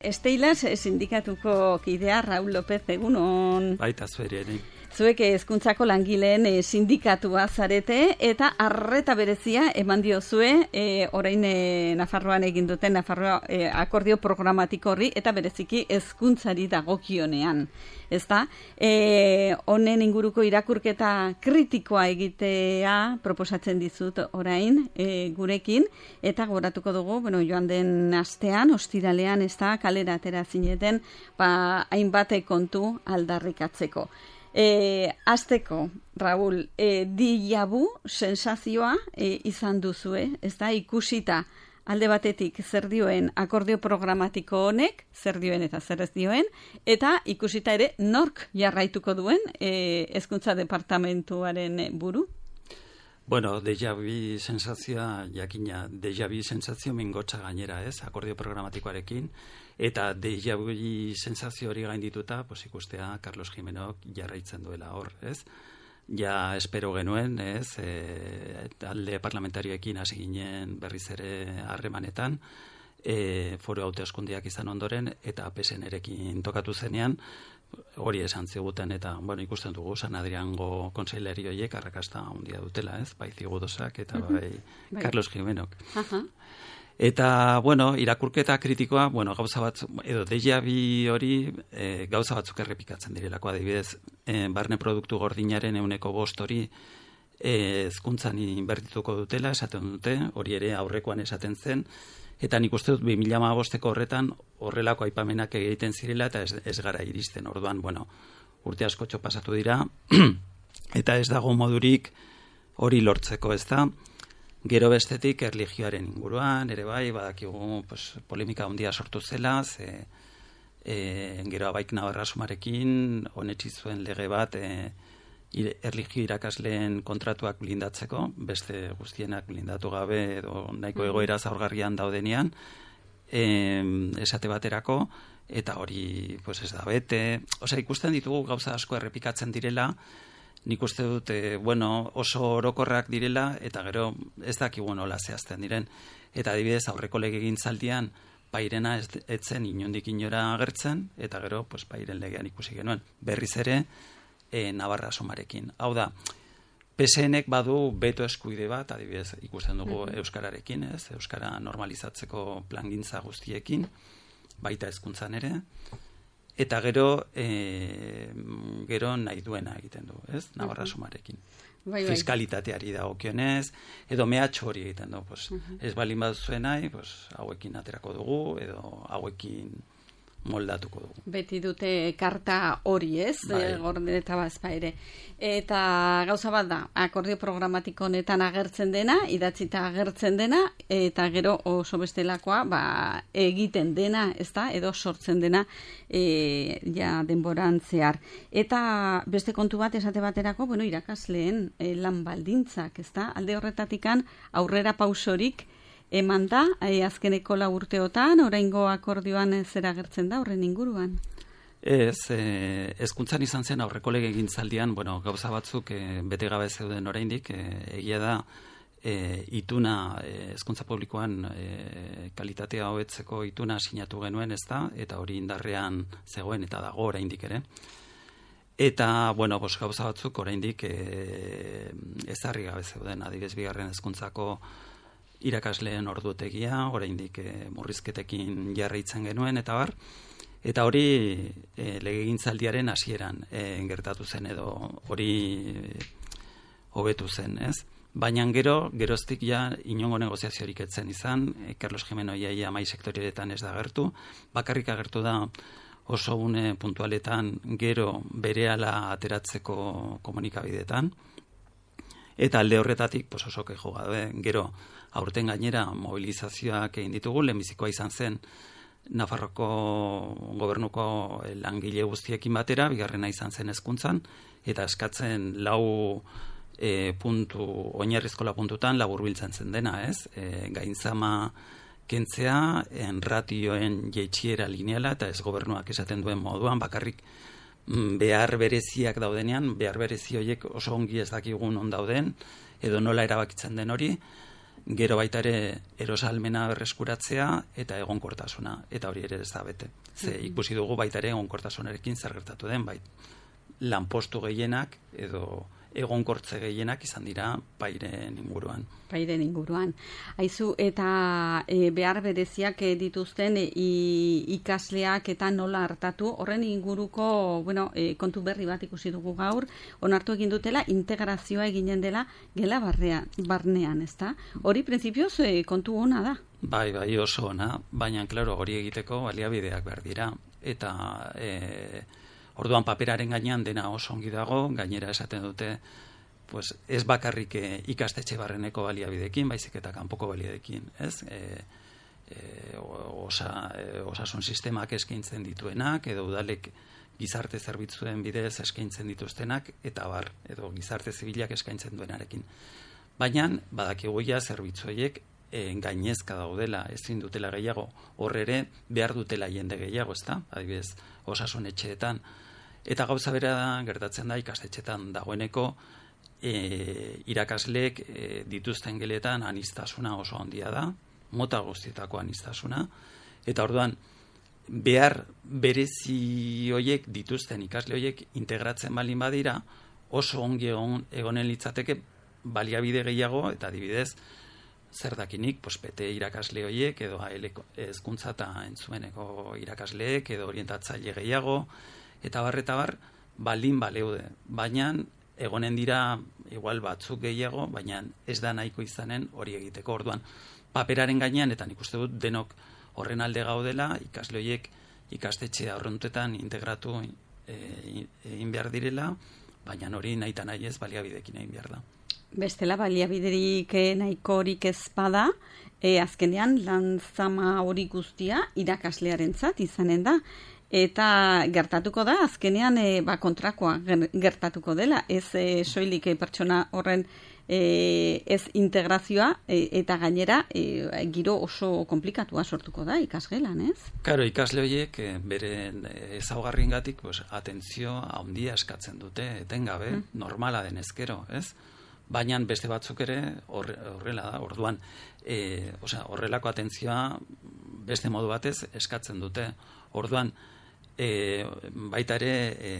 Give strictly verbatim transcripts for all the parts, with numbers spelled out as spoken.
Esteilas sindikatuko kidea Raúl López, egunon. Baita zuere, ere. Zuek hezkuntzako langileen e, sindikatua zarete eta arreta berezia eman diozue e, orain e, Nafarroan egin duten Nafarroa e, akordio programatiko horri eta bereziki hezkuntzari dagokionean. Ezta? E, honen inguruko irakurketa kritikoa egitea proposatzen dizut orain e, gurekin eta gogoratuko dugu, bueno, joan den astean, ostiralean, ez da, kalera atera zineten, ba, hainbat kontu aldarrikatzeko. E, azteko, Raúl, e, diabu sensazioa e, izan duzue, ez da, ikusita alde batetik zer dioen akordio programatiko honek, zer dioen eta zer ez dioen, eta ikusita ere nork jarraituko duen e, hezkuntza departamentuaren buru? Bueno, deja vu sensazioa, jakina, deja vu sensazio mingotxa gainera, ez, akordio programatikoarekin, eta deja vu sensazio hori gaindituta, pues ikustea Carlos Jimenok jarraitzen duela hor, ez? Ja espero genuen, ez, e, alde parlamentarioekin hasi ginen berriz ere harremanetan, e, foru hauteskundeak izan ondoren, eta P S Nerekin tokatu zenean, hori esan ziguten, eta, bueno, ikusten dugu, San Adriango konseileri horiek arrakasta handia dutela, ez, bai Zigudosak eta bai, bai Carlos Jimenok. Uh-huh. Eta, bueno, irakurketa kritikoa, bueno, gauza bat, edo deja vu hori e, gauza batzuk errepikatzen direlako, adibidez, e, barne produktu gordinaren ehuneko bost hori hezkuntzan e, inbertituko dutela, esaten dute, hori ere aurrekoan esaten zen, eta nik uste dut bi mila hamabosteko horretan horrelako aipamenak egiten zirela eta ez, ez gara iristen. Orduan, bueno, urte askotxo pasatu dira, eta ez dago modurik hori lortzeko, ez da. Gero bestetik erlijioaren inguruan, ere bai, badakigu pues, polemika handia sortu zela, ze e, gero abaik nabarrasumarekin honetsi zuen lege bat e, erlijio irakasleen kontratuak blindatzeko, beste guztienak blindatu gabe edo nahiko egoera zaurgarrian daudenean, e, esate baterako, eta hori pues, ez da bete. Osea, ikusten ditugu gauza asko errepikatzen direla, nik uste dut, e, bueno, oso orokorrak direla, eta gero ez dakigu nola zehazten diren. Eta adibidez, aurreko legegintzaldian, pairena ez, ez zen inondik inora agertzen, eta gero, pues, pairen legean ikusi genuen. Berriz ere, e, Navarra Somarekin. Hau da, P S Nek badu beto eskuide bat, adibidez, ikusten dugu mm-hmm. Euskararekin, ez? Euskara normalizatzeko plangintza guztiekin, baita hezkuntzan ere, eta gero, e, gero nahi duena egiten du, ez? Navarra Somarekin. Bai, bai. Fiskalitateari dagokionez, edo mehatxo hori egiten du, pues, uh-huh. ez balin baduzuen nahi, pues, hauekin aterako dugu, edo hauekin moldatuko dugu. Beti dute karta hori, ez? Bai. Gordeta bazpa ere. Eta gauza bat da, akordio programatiko honetan agertzen dena, idatzita agertzen dena, eta gero oso bestelakoa, ba, egiten dena, ez da, edo sortzen dena, e, ja, denboran zehar. Eta beste kontu bat esate baterako, bueno, irakasleen e, lan baldintzak, ez da? Alde horretatikan aurrera pausorik eman da, e, azkeneko lau urteotan, oraingo akordioan zer agertzen da, horren inguruan? Ez, hezkuntzan e, izan zen aurreko legegintzaldian, bueno, gauza batzuk e, bete gabe zeuden oraindik, e, egia da, e, ituna, hezkuntza e, publikoan e, kalitatea hobetzeko ituna sinatu genuen, ez da, eta hori indarrean zegoen eta dago oraindik ere. Eta, bueno, bos, gauza batzuk oraindik e, ezarri gabe zeuden, adibidez bigarren hezkuntzako irakasleen ordutegia, oraindik e, murrizketekin jarraitzen genuen, eta bar, eta hori e, legegintzaldiaren hasieran e, gertatu zen, edo hori hobetu zen, ez? Baina gero, geroztik ja inongo negoziaziorik etzen izan, e, Carlos Jimeno iaia mai sektorietan ez da agertu, bakarrik agertu da oso une puntualetan gero berehala ateratzeko komunikabideetan, eta alde horretatik pues oso kejo gabe, gero aurten gainera mobilizazioak egin ditugu, lehenbizikoa izan zen Nafarroko gobernuko langile guztiekin batera, bigarrena izan zen hezkuntzan, eta eskatzen lau e, puntu, oinarrizko lau puntutan laburbiltzen zen dena, ez? E, gainzama kentzea, en ratioen jeitsiera lineala, eta ez gobernuak esaten duen moduan, bakarrik behar bereziak daudenean, behar berezi horiek oso ongi ez dakigun on dauden, edo nola erabakitzen den hori, gero baita ere erosalmena berreskuratzea eta egonkortasuna, eta hori ere ez da bete. Ze ikusi dugu baita ere egonkortasunarekin zer gertatu den, bai lanpostu gehienak edo egonkortze gehienak izan dira pairen inguruan. Pairen inguruan. Aizu, eta e, behar bereziak e, dituzten e, ikasleak eta nola hartatu, horren inguruko bueno, e, kontu berri bat ikusi dugu gaur, onartu egin dutela, integrazioa eginen dela gela barrea, barnean, ezta? Hori printzipioz e, kontu ona da. Bai, bai, oso ona, baina, klaro, hori egiteko baliabideak behar dira. Eta... E, Orduan paperaren gainean dena oso ongi dago, gainera esaten dute pues, ez bakarrik ikastetxe barreneko baliabidekin, baizik eta kanpoko baliabidekin, ez? E, e, osa, e, osasun sistemak eskaintzen dituenak, edo udalek gizarte zerbitzuen bidez eskaintzen dituztenak, eta bar, edo gizarte zibilak eskaintzen duenarekin. Baina, badakigu ja zerbitzueiek e, gainezka daudela, ezin dutela gehiago, horre behar dutela jende gehiago, ezta? Adibidez, osasun etxeetan. Eta gauza bera gertatzen da ikastetxetan dagoeneko e, irakasleek e, dituzten geletan aniztasuna oso handia da, mota guztietako aniztasuna, eta orduan behar berezi hoiek dituzten ikasle hoiek integratzen balin badira oso ongi egon, egonen litzateke baliabide gehiago, eta adibidez zer dakinik, pues, bete irakasle hoiek edo hezkuntza eta entzumeneko irakasleek edo orientatzaile gehiago, eta bar, eta bar, baldin baleude. Baina, egonen dira, igual batzuk gehiago, baina ez da nahiko izanen hori egiteko. Orduan, paperaren gainean, eta nik uste dut denok horren alde gaudela, ikasle horiek ikastetxe aurrentetan integratu egin e, behar direla, baina hori nahi eta nahi ez baliabidekin egin behar da. Bestela baliabiderik nahikorik ez bada, e, azkenean lanzama hori guztia irakaslearentzat izanen da. Eta gertatuko da, azkenean e, ba, kontrakoa gertatuko dela, ez e, soilik e, pertsona horren e, ez integrazioa e, eta gainera e, giro oso komplikatua sortuko da ikasgelan, ez? Karo, ikasle horiek e, beren ezaugarriengatik pues, atentzio handia eskatzen dute, etengabe, mm. normala den ezkero, ez? Baina beste batzuk ere horrela da, orduan, e, osea, horrelako atentzioa beste modu batez eskatzen dute, orduan, E, baita ere e,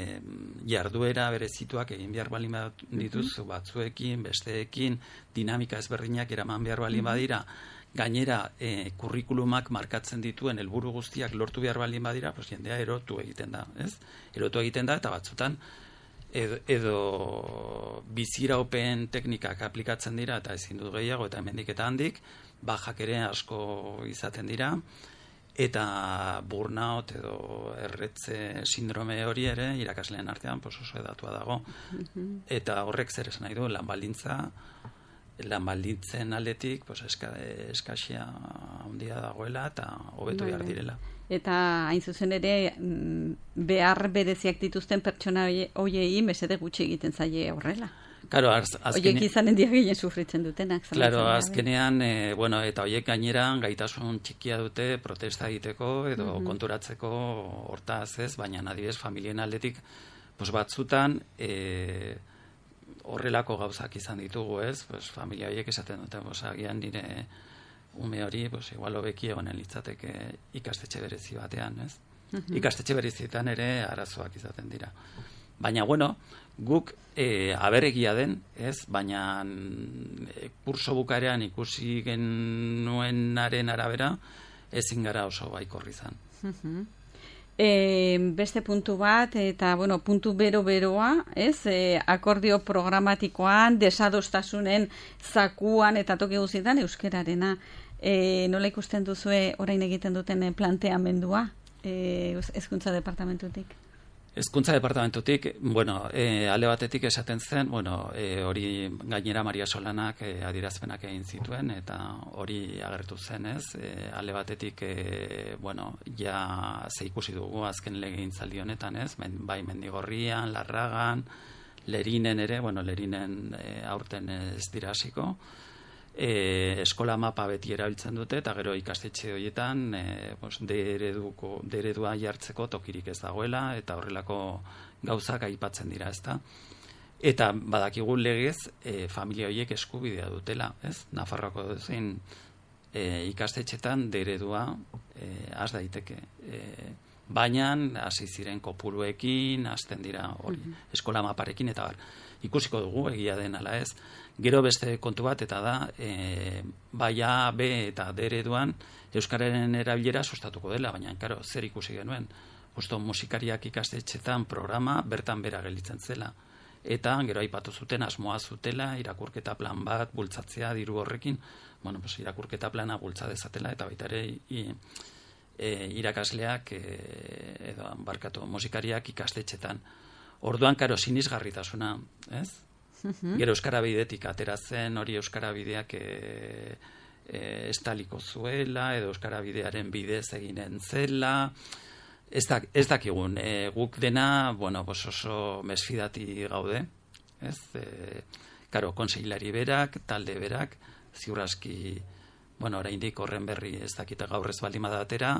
jarduera berezituak egin behar balin dituzu batzuekin, besteekin, dinamika ezberdinak eraman behar balin badira, gainera e, kurrikulumak markatzen dituen helburu guztiak lortu behar balin badira, pues, jendea erotu egiten da, ez? Erotu egiten da, eta batzutan edo, edo biziraupen teknikak aplikatzen dira, eta ezin dut gehiago, eta hemendik eta handik, bajak ere asko izaten dira, eta burnout edo erretze sindrome hori ere irakasleen artean pues, oso edatua dago. Eta horrek zer esan nahi du, lan baldintza, lan baldintzen aldetik pues, eska, eskasia handia dagoela eta hobetu behar direla. Eta hain zuzen ere behar bereziak dituzten pertsona hoiei mesede gutxi egiten zaie horrela. Claro, az, azkene... Oiek izanen dia gehien sufritzen dutenak. Claro, azkenean, e, bueno, eta oiek gainera gaitasun txikia dute protesta egiteko edo mm-hmm. konturatzeko hortaz ez, baina adibidez familien aldetik pues, batzutan e, horrelako gauzak izan ditugu ez, pues, familia horiek esaten dute, pues, agian nire ume hori, pues, igual hobeki egonen litzateke ikastetxe berezi batean, ez? Mm-hmm. Ikastetxe berezietan ere arazoak izaten dira. Baina, bueno, guk e, aberregia den, ez? Baina e, kurso bukaeran ikusi genuenaren arabera, ezin gara oso baikorri izan. Uh-huh. E, beste puntu bat, eta, bueno, puntu bero-beroa, ez? E, akordio programatikoan, desadostasunen zakuan eta toki guztietan euskerarena. E, nola ikusten duzue orain egiten duten planteamendua e, hezkuntza departamentutik? Hezkuntza departamentutik, bueno, e, alde batetik esaten zen, bueno, e, hori gainera Maria Solanak e, adierazpenak egin zituen, eta hori agertu zen, ez? E, alde batetik, e, bueno, ja ze ikusi dugu azken legegintzaldi honetan, ez? Men, bai Mendigorrian, Larragan, Lerinen ere, bueno, Lerinen e, aurten ez dira hasiko. E, eskola mapa beti erabiltzen dute, eta gero ikastetxe horietan e, pues, dereduko, deredua jartzeko tokirik ez dagoela, eta horrelako gauzak aipatzen dira, ezta. Eta badakigu legez e, familia horiek eskubidea dutela, ez? Nafarroako zein e, ikastetxetan deredua e, az daiteke. E, baina hasi ziren kopuruekin, hasten dira hori, mm-hmm. eskola maparekin, eta bar, ikusiko dugu egia den ala ez. Gero beste kontu bat, eta da, e, baia B eta D ereduan euskararen erabilera sustatuko dela, baina, karo, zer ikusi genuen. Justo musikariak ikastetxetan programa bertan bera gelditzen zela. Eta gero aipatu zuten asmoa zutela, irakurketa plan bat, bultzatzea diru horrekin, bueno, pues, irakurketa plana bultza dezatela, eta baita ere i, e, irakasleak e, edo barkatu musikariak ikastetxetan. Orduan, karo, sinisgarritasuna, ez? Uh-huh. Gero euskara bidetik ateratzen, hori euskara bideak e, e, estaliko zuela, edo euskara bidearen bidez eginen zela. Ez, da, ez dakigun, e, guk dena, bueno, bos oso mesfidati gaude, ez? E, karo, konseilari berak, talde berak, ziurraski, bueno, oraindik horren berri ez dakita gaur ez baldin badatera,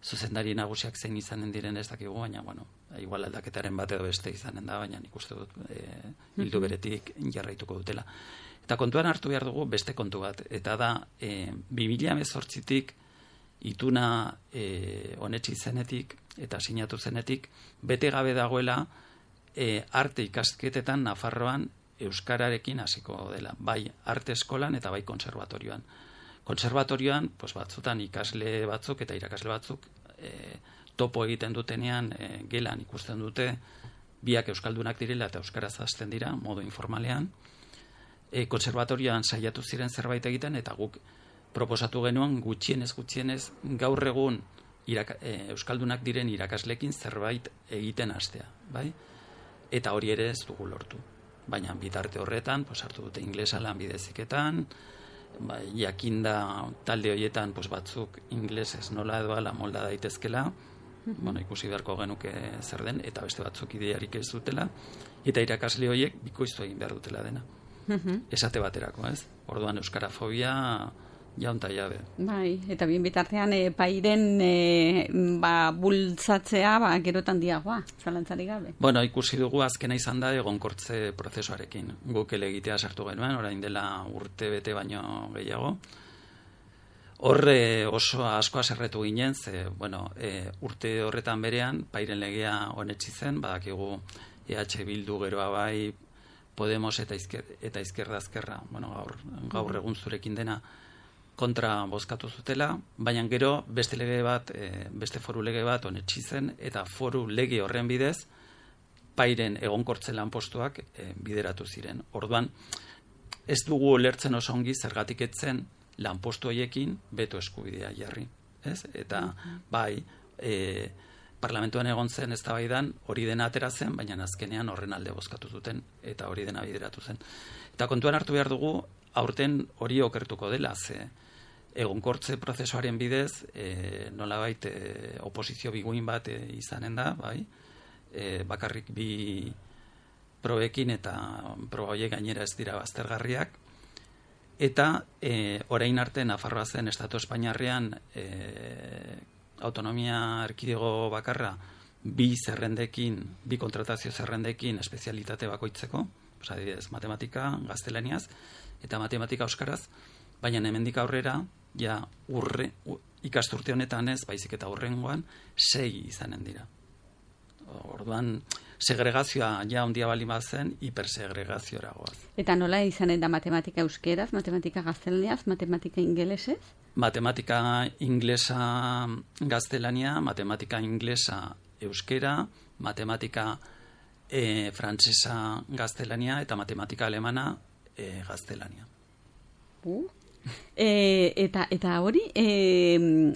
zuzendari nagusiak zein izanen diren ez dakigu, baina, bueno, igual aldaketaren bat edo beste izanen da, baina nik uste dut e, hildu beretik jarraituko dutela. Eta kontuan hartu behar dugu beste kontu bat, eta da, e, bi mila hemezortzitik ituna e, onetsi zenetik eta sinatu zenetik, bete gabe dagoela e, arte ikasketetan Nafarroan euskararekin hasiko dela, bai arte eskolan eta bai konserbatorioan. Konserbatorioan, pues batzutan ikasle batzuk eta irakasle batzuk e, topo egiten dutenean e, gelan ikusten dute biak euskaldunak direla eta euskaraz hasten dira, modu informalean. E, konserbatorioan saiatu ziren zerbait egiten eta guk proposatu genuen gutxienez gutxienez gaur egun iraka, e, euskaldunak diren irakaslekin zerbait egiten hastea, bai? Eta hori ere ez dugu lortu. Baina bitarte horretan, pues hartu dute inglesa lanbideziketan, bai, jakinda talde horietan pues batzuk inglesez nola edo ala molda daitezkela, mm-hmm. bueno, ikusi beharko genuke zer den, eta beste batzuk idearik ez dutela, eta irakasle horiek bikoiztu egin behar dutela dena. Mm-hmm. Esate baterako, ez? Orduan euskarafobia jaunta jabe. Bai, eta bien bitartean e, pairen e, ba, bultzatzea ba, gerotan diagoa, zalantzari gabe. Bueno, ikusi dugu azkena izan da egonkortze prozesuarekin. Guk elegitea sartu genuen, orain dela urte bete baino gehiago. Horre oso asko aserretu ginen, ze, bueno, e, urte horretan berean, pairen legea onetsi zen, badakigu E H Bildu geroa bai, Podemos eta, izker, eta izkerda azkerra, bueno, gaur, gaur egun zurekin dena, kontra bozkatu zutela, baina gero beste lege bat, e, beste foru lege bat onetsi zen, eta foru lege horren bidez, pairen egonkortze lanpostuak e, bideratu ziren. Orduan, ez dugu ulertzen oso ongi zergatik etzen lanpostu horiekin beto eskubidea jarri. Ez? Eta bai, e, parlamentuan egon zen eztabaidan hori dena atera zen, baina azkenean horren alde bozkatu zuten, eta hori dena bideratu zen. Eta kontuan hartu behar dugu, aurten hori okertuko dela, ze egonkortze prozesuaren bidez, e, nolabait e, oposizio biguin bat e, izanen da, bai, e, bakarrik bi probekin eta proba horiek gainera ez dira baztergarriak, eta e, orain arte Nafarroa zen Estatu Espainiarrean e, autonomia erkidego bakarra bi zerrendekin, bi kontratazio zerrendekin espezialitate bakoitzeko, oza, adibidez, matematika, gaztelaniaz, eta matematika euskaraz, baina hemendik aurrera, ja urre, u, ikasturte honetan ez, baizik eta urrengoan, sei izanen dira. Orduan, segregazioa ja ondia bali bazen, hipersegregazioa goaz. Eta nola izanen da matematika euskeraz, matematika gaztelaniaz, matematika ingelesez? Matematika inglesa gaztelania, matematika inglesa euskera, matematika e, frantsesa gaztelania, eta matematika alemana e, gaztelania. Uh. E, eta eta hori e,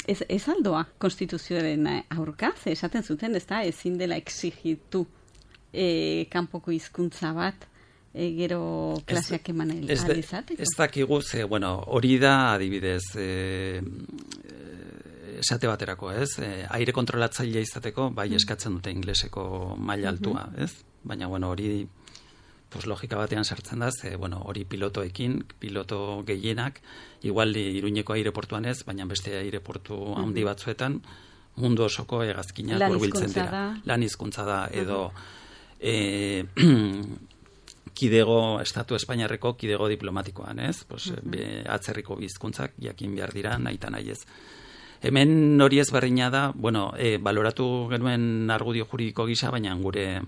ez, ez aldoa konstituzioaren aurka, ze esaten zuten, ez da, ezin dela exigitu e, kanpoko hizkuntza bat e, gero klaseak eman alizateko. Ez dakigu, ze, bueno, hori da adibidez e, esate baterako, ez? E, aire kontrolatzailea izateko, bai eskatzen dute ingleseko maila altua, ez? Baina, bueno, hori pues logika batean sartzen da, ze, bueno, hori pilotoekin, piloto gehienak, igual Iruñeko aireportuan ez, baina beste aireportu handi batzuetan, mundu osoko hegazkinak hurbiltzen dira. Lan hizkuntza da, edo e, kidego, Estatu Espainiarreko kidego diplomatikoan, ez? Pues, uh-huh. be, atzerriko bizkuntzak jakin behar dira, nahi eta nahi ez. Hemen hori ez berdina da, bueno, e, baloratu genuen argudio juridiko gisa, baina gure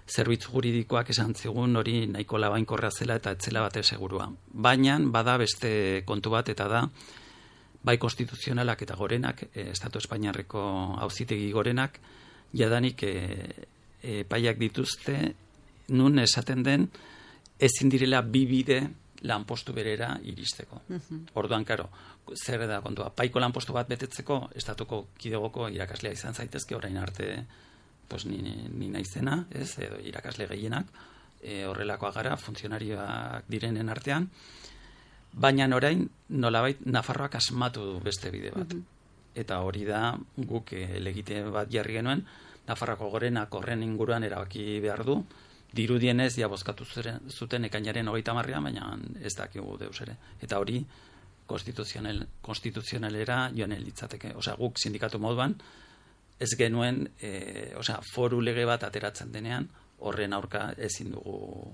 zerbitzu juridikoak esan zigun hori nahiko labainkorra zela eta etzela bate segurua. Baina bada beste kontu bat eta da, bai konstituzionalak eta gorenak, e, Estatu Espainiarreko auzitegi gorenak, jadanik e, e, paiak dituzte, nun esaten den, ezin direla bi bide lanpostu berera iristeko. Uh-huh. Orduan, karo, zer da kontua, paiko lanpostu bat betetzeko, estatuko kidegoko irakaslea izan zaitezke, orain arte, pues, ni, ni naizena, ez, edo irakasle gehienak, e, horrelakoa gara, funtzionarioak direnen artean, baina orain, nolabait, Nafarroak asmatu du beste bide bat. Uh-huh. Eta hori da, guk e, legite bat jarri genuen, Nafarroako gorenak horren inguruan erabaki behar du, dirudienez, ja bozkatu zuten ekainaren hogeita marrean, baina ez dakigu deus ere. Eta hori, konstituzional, konstituzionalera joan litzateke. Osea, guk sindikatu moduan, ez genuen, e, osea, foru lege bat ateratzen denean, horren aurka ezin dugu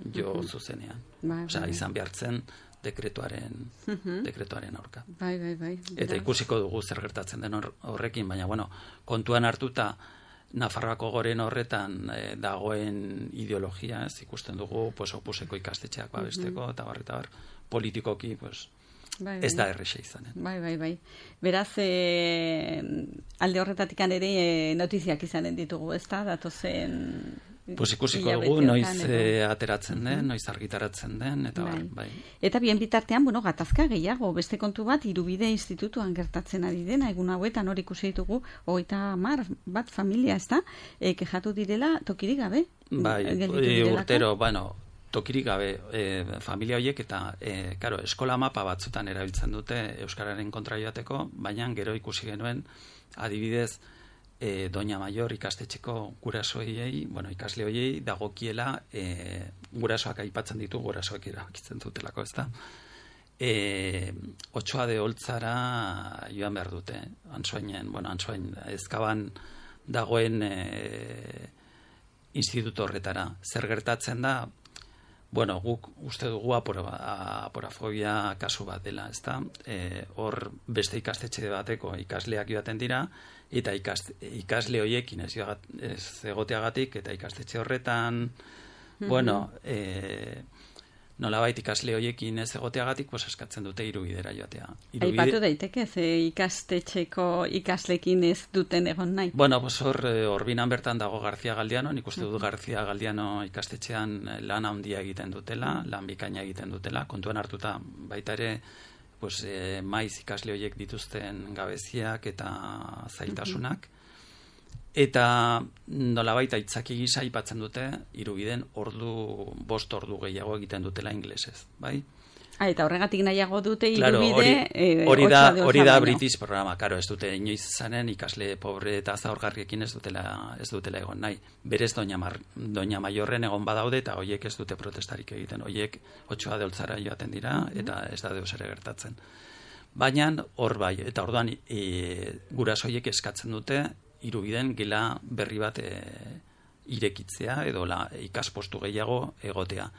jo uh-huh. zuzenean. Bai, osea, bai. Izan behartzen dekretuaren, uh-huh. dekretuaren aurka. Bai, bai, bai. Eta ikusiko dugu zer gertatzen den horrekin, baina, bueno, kontuan hartuta, Nafarroako goren horretan e, dagoen ideologia, ez ikusten dugu, pues, opuseko ikastetxeak babesteko, uh-huh. eta bar, eta bar, politikoki, pues, bai, bai. Ez da errexe izanen. Bai, bai, bai. Beraz, e, alde horretatik ere e, notiziak izanen ditugu, ez da, datozen... Pues ikusiko dugu, noiz e, ateratzen den, uh-huh. noiz argitaratzen den, eta bai. bai. Eta bien bitartean, bueno, gatazka gehiago, beste kontu bat, Irubide Institutuan gertatzen ari dena, egun hauetan hori ikusi ditugu, hogeita hamar bat familia, ez da, e, kexatu direla tokirik gabe? Bai, e, urtero, bueno, tokirik gabe, e, familia horiek, eta, e, karo, eskola mapa batzutan erabiltzen dute Euskararen kontra joateko, baina gero ikusi genuen, adibidez, E, Doña Mayor ikastetxeko gurasoiei, bueno, ikasle hoiei dagokiela e, gurasoak aipatzen ditu, gurasoak erabakitzen dutelako, ezta? E, Otsoa de Oltzara joan behar dute, Antsoainen, bueno, Antsoain, Ezkaban dagoen e, instituto horretara. Zer gertatzen da, bueno, guk uste dugu aporafobia kasu bat dela, ezta? E, hor beste ikastetxe bateko ikasleak joaten dira, eta ikast, ikasle hoiekin ez, ez egoteagatik, eta ikastetxe horretan, mm-hmm. bueno, e, nolabait ikasle hoiekin ez egoteagatik, pues eskatzen dute Irubidera joatea. Irubide... Aipatu daiteke, ze ikastetxeko ikaslekin ez duten egon nahi? Bueno, pues hor, horbinan bertan dago García Galdiano, nik uste dut García Galdiano ikastetxean lan handia egiten dutela, lan bikaina egiten dutela, kontuan hartuta baita ere, pues, e, maiz ikasle horiek dituzten gabeziak eta zailtasunak. Eta nolabait aitzaki gisa aipatzen dute Irubiden ordu, bost ordu gehiago egiten dutela inglesez, bai? Ah, eta horregatik nahiago dute Irubide... Claro, hori, eh, hori da, hori da British programa, karo, ez dute inoiz zanen ikasle pobre eta zaurgarriekin ez dutela, ez dutela egon nahi. Berez Doña, Mar, Doña Mayorren egon badaude eta hoiek ez dute protestarik egiten. Hoiek Otsoa de Oltzara joaten dira eta ez da deus ere gertatzen. Baina hor bai, eta orduan e, gurasoiek eskatzen dute Irubiden gela berri bat e, irekitzea edo la, ikaspostu gehiago egotea.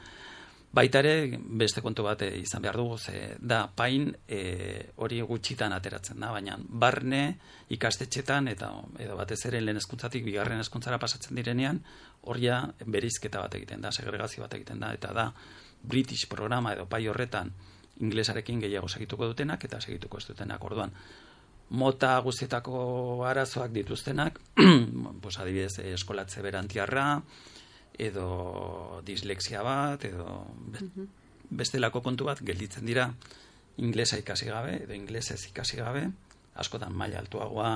Baita ere, beste kontu bat izan behar dugu, ze da pain e, hori gutxitan ateratzen da, baina barne ikastetxetan eta edo batez ere lehen hezkuntzatik bigarren hezkuntzara pasatzen direnean, horia bereizketa bat egiten da, segregazio bat egiten da, eta da British programa edo pai horretan inglesarekin gehiago segituko dutenak eta segituko ez dutenak. Orduan, mota guztietako arazoak dituztenak, pues adibidez eskolatze berantiarra, edo dislexia bat, edo bestelako kontu bat gelditzen dira inglesa ikasi gabe, edo inglesez ikasi gabe, askotan maila altuagoa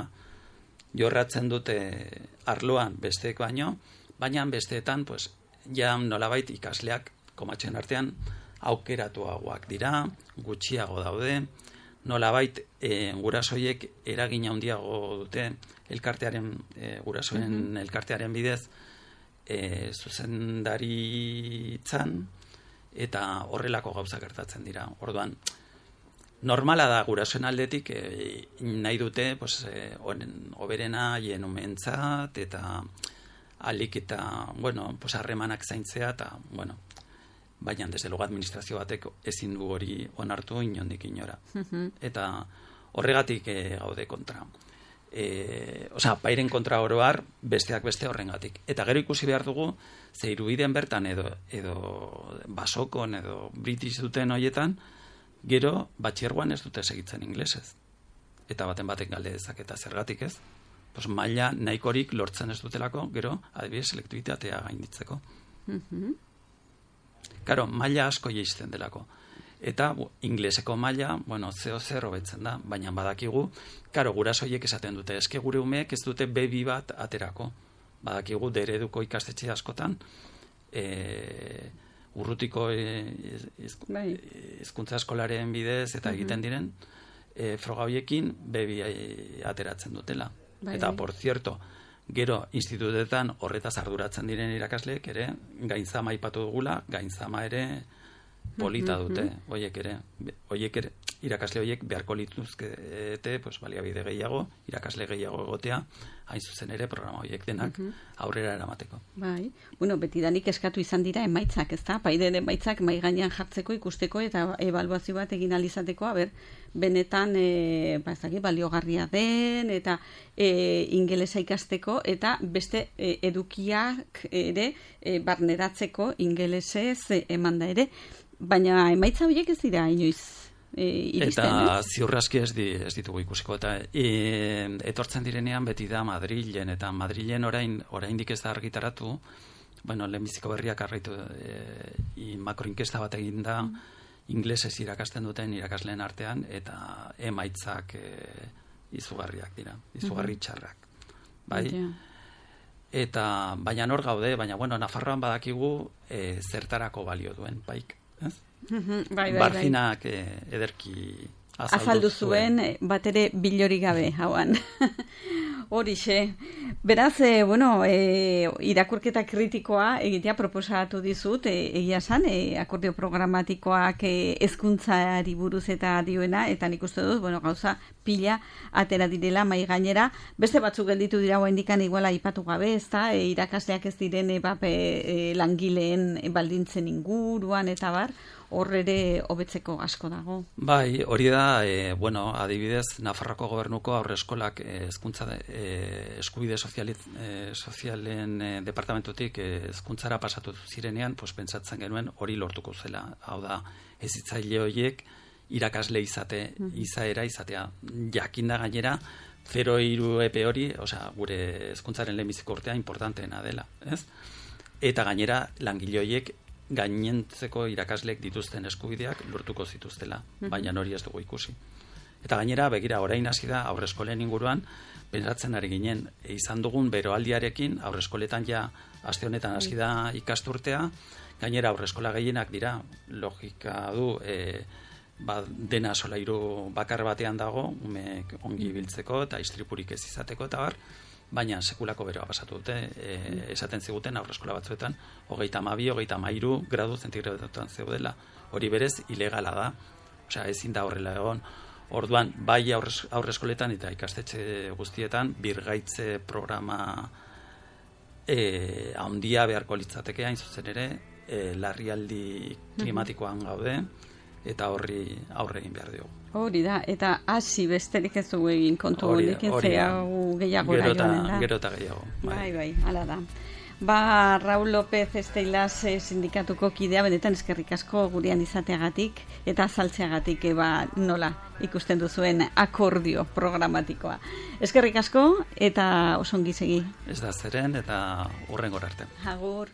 jorratzen dute arloan besteek baino, baina besteetan, pues, ja nolabait ikasleak komatxen artean aukeratuagoak dira, gutxiago daude, nolabait e, gurasoiek eragin handiago dute elkartearen, e, gurasoen mm-hmm. elkartearen bidez, E, zuzendaritzan eta horrelako gauza gertatzen dira. Orduan, normala da gurasoen aldetik e, nahi dute pues, e, oberena hien umentzat eta alik eta, bueno, pues harremanak zaintzea, eta, bueno, baina desde luego administrazio batek ezin du hori onartu inondik inora. Eta horregatik e, gaude kontra. E, Osa, pairen kontra oroar, besteak beste horrengatik. Eta gero ikusi behar dugu, ze irubiden bertan edo, edo basokon edo british duten hoietan, gero batxiergoan ez dute segitzen inglesez. Eta baten batek galde dezaketa zergatik ez. Pues maila nahikorik lortzen ez dutelako, gero, adibidez, selektibitatea gainditzeko. Mhm. Karo, maila asko jeisten delako. Eta bu, ingleseko maila, bueno, zeo zer hobetzen da, baina badakigu, karo, gurasoiek esaten dute, eske gure umeek ez dute bebi bat aterako. Badakigu, dereduko ikastetxe askotan, e, urrutiko hizkuntza eskolaren bidez eta egiten diren, e, froga hoiekin bebi ateratzen dutela. Bai. Eta, por cierto, gero institutetan horretaz arduratzen diren irakasleek ere, gainzama aipatu dugula, gainzama ere polita dute, hoiek ere, hoiek ere, irakasle hoiek beharko lituzkete, pues, baliabide gehiago, irakasle gehiago egotea, hain zuzen ere programa hoiek denak aurrera eramateko. Bai, bueno, betidanik eskatu izan dira emaitzak, ezta? Paide emaitzak mai gainean jartzeko, ikusteko eta ebaluazio bat egin alizateko, aber, benetan e, ba, ezagik, baliogarria den eta e, ingelesa ikasteko eta beste e, edukiak ere e, barneratzeko ingelesez e, emanda ere, baina emaitza horiek ez dira inoiz e, iristen, eta ez? ziurraski ez, di, ez ditugu ikusiko eta e, etortzen direnean beti da Madrilen eta Madrilen orain oraindik ez da argitaratu, bueno, lehenbiziko berriak arraitu e, makroinkesta bat egin da inglesez irakasten duten irakasleen artean eta emaitzak e, izugarriak dira, izugarri txarrak. Bai? Yeah. Eta baina hor gaude, baina bueno, Nafarroan badakigu e, zertarako balio duen, baik, ez? bai, bai, Barzinak e, ederki azaldu, azaldu zuen, zuen bat ere bilori gabe hauan. Horixe. Beraz, e, bueno, e, irakurketa kritikoa egitea proposatu dizut, e, egia san, e, akordio programatikoak e, hezkuntzari buruz eta dioena, eta nik uste dut, bueno, gauza pila atera direla mai gainera. Beste batzuk gelditu dira oraindikan iguala aipatu gabe, ezta? E, irakasleak ez diren e, bape, e, langileen baldintzen inguruan eta bar, hor ere hobetzeko asko dago. Bai, hori da, e, bueno, adibidez, Nafarroko gobernuko aurreskolak hezkuntza e, eskubide soziali, e, sozialen e, departamentutik hezkuntzara e, pasatu zirenean, pues, pentsatzen genuen hori lortuko zela. Hau da, hezitzaile horiek irakasle izate, izaera izatea. Jakinda gainera, zero hiru epe hori, osea, gure hezkuntzaren lehenbiziko urtea importanteena dela, ez? Eta gainera, langile horiek gainentzeko irakasleek dituzten eskubideak lortuko zituztela, baina hori ez dugu ikusi. Eta gainera, begira, orain hasi da aurreskolen inguruan, pentsatzen ari ginen, e, izan dugun beroaldiarekin, aurreskoletan ja, aste honetan hasi da ikasturtea, gainera aurreskola gehienak dira, logika du, e, ba, dena solairu bakar batean dago, umeek ongi biltzeko eta istripurik ez izateko eta bar, baina sekulako beroa pasatu dute, e, esaten ziguten aurreskola batzuetan, hogeita hamabi, hogeita hamairu gradu zentigradotan zeudela. Hori berez, ilegala da, osea, ezin da horrela egon. Orduan, bai aurrez, aurreskoletan eta ikastetxe guztietan, birgaitze programa e, handia beharko litzateke, hain zuzen ere, e, larrialdi klimatikoan gaude, eta horri aurre egin behar diogu. Hori da, eta hasi besterik ez dugu egin kontu honekin, zehagu gehiago gero joanen da. Gero eta gehiago. Bai, bai, bai, hala da. Ba, Raul López Esteilaz sindikatuko kidea, benetan eskerrik asko gurean izateagatik, eta azaltzeagatik eba nola ikusten duzuen akordio programatikoa. Eskerrik asko, eta osongi segi. Ez da zeren, eta hurrengora arte. Agur.